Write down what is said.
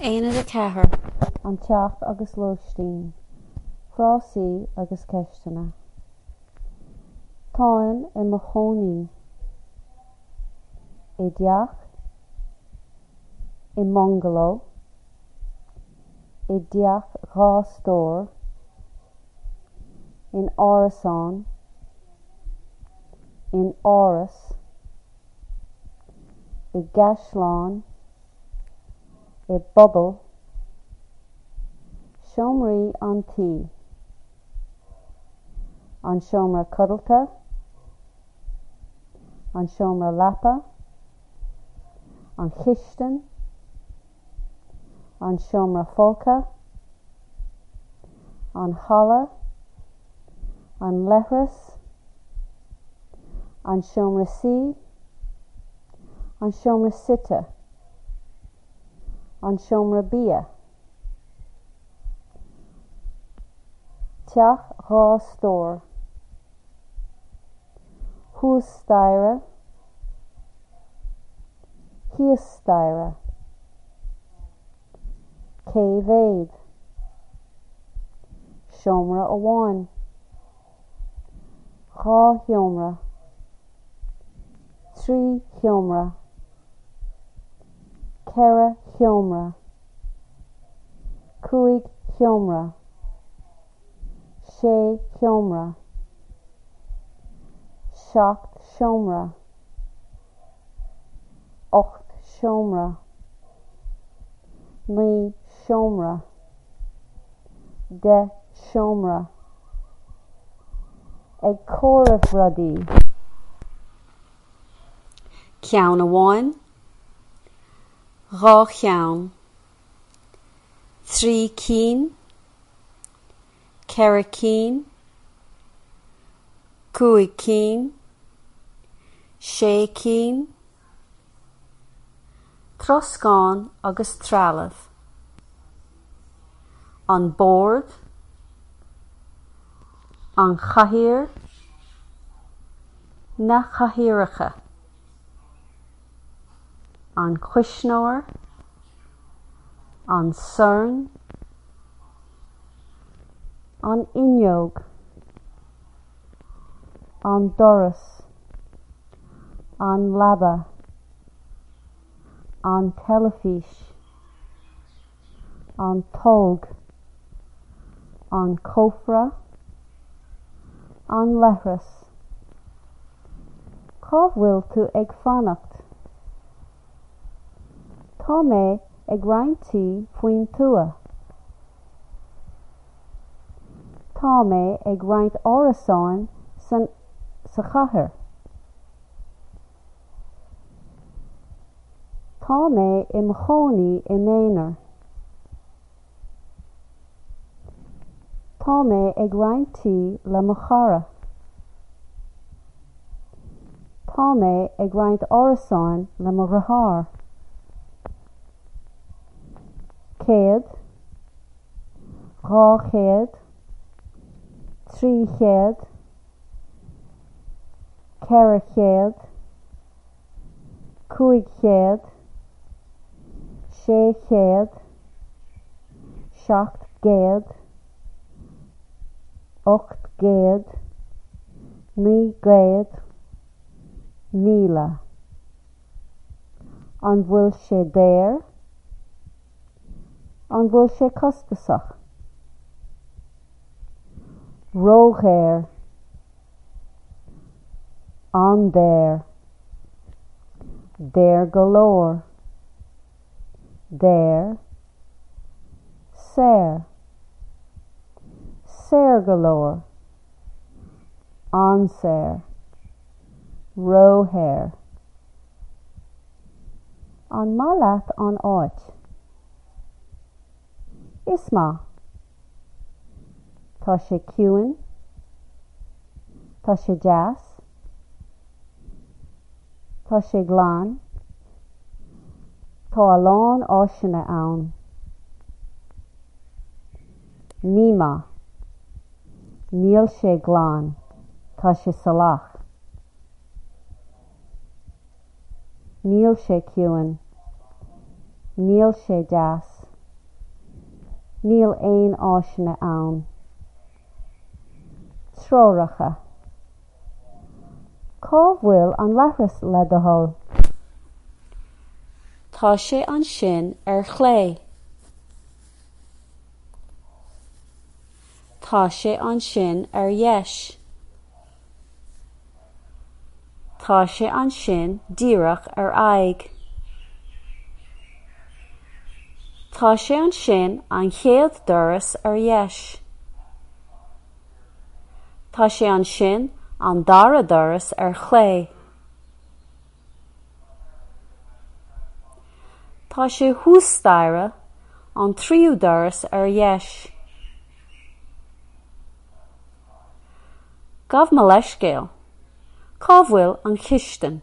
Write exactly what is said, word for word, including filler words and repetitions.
Aonad a ceathair An Teach agus Lóistín, Frásaí agus Ceisteanna. Táim i mo chónaí. I dteach. I mbungaló. I dteach dhá stór. In árasán. In áras. I gcaisleán. I bpuball. Seomraí an tí. An seomra codlata. An seomra leapa. An chistin. An seomra folctha. An halla. An leithreas. An seomra suí. An seomra suite. An seomra bia. Teach dhá stór. Thuas staighre. Thíos staighre. Cé mhéad? Seomra amháin. Dhá sheomra. Trí sheomra. Ceithre sheomra. Cúig sheomra. Sé sheomra. Seacht seomra. Ocht seomra. Naoi seomra. Deich seomra. Ag comhaireamh rudaí. Ceann amháin, dhá cheann, trí cinn, ceithre cinn, cúig cinn, sé cinn, troscán agus trealamh. An bord, an chathaoir, na cathaoireacha. An cuisneoir, an sorn, an fhuinneog, an doras, an leaba, an teilifís, an tolg, an cófra, an leithreas. Cá bhfuil tú ag fanacht? Tá mé ag roinnt tí faoin tuath. Tá mé ag roinnt árasáin san sa chathair. Tá mé i mo chónaí i m'aonar. Tá mé ag roinnt tí le mo chara. Tá mé ag roinnt árasáin le mo dheartháir. Céad, dhá chéad, trí chéad, ceithre chéad, cúig chéad, sé chéad, seacht gcéad, ocht gcéad, naoi gcéad, míle. An bhfuil sé daor? An bhfuil sé costasach? Ródhaor. An-daor. Daor go leor. Daor. Saor. Saor go leor. An-saor. Róshaor. An maith leat an áit? Is maith. Tá sé ciúin. Tá sé deas. Tá sé glan. Tá a lán áiseanna ann. Ní maith. Níl sé glan. Tá sé salach. Níl sé ciúin. Níl sé deas. Níl aon áiseanna ann. Treoracha. Cá bhfuil an leithreas le do thoil? Tá sé ansin ar chlé. Tá sé ansin ar dheis. Tá sé ansin díreach ar aghaidh. Tá sé ansin an chéad doras ar dheis. Tá sé ansin an dara doras ar chlé. Tá sé thuas staighre, an tríú doras ar dheis. Gabh mo leithscéal, cá bhfuil an chistin?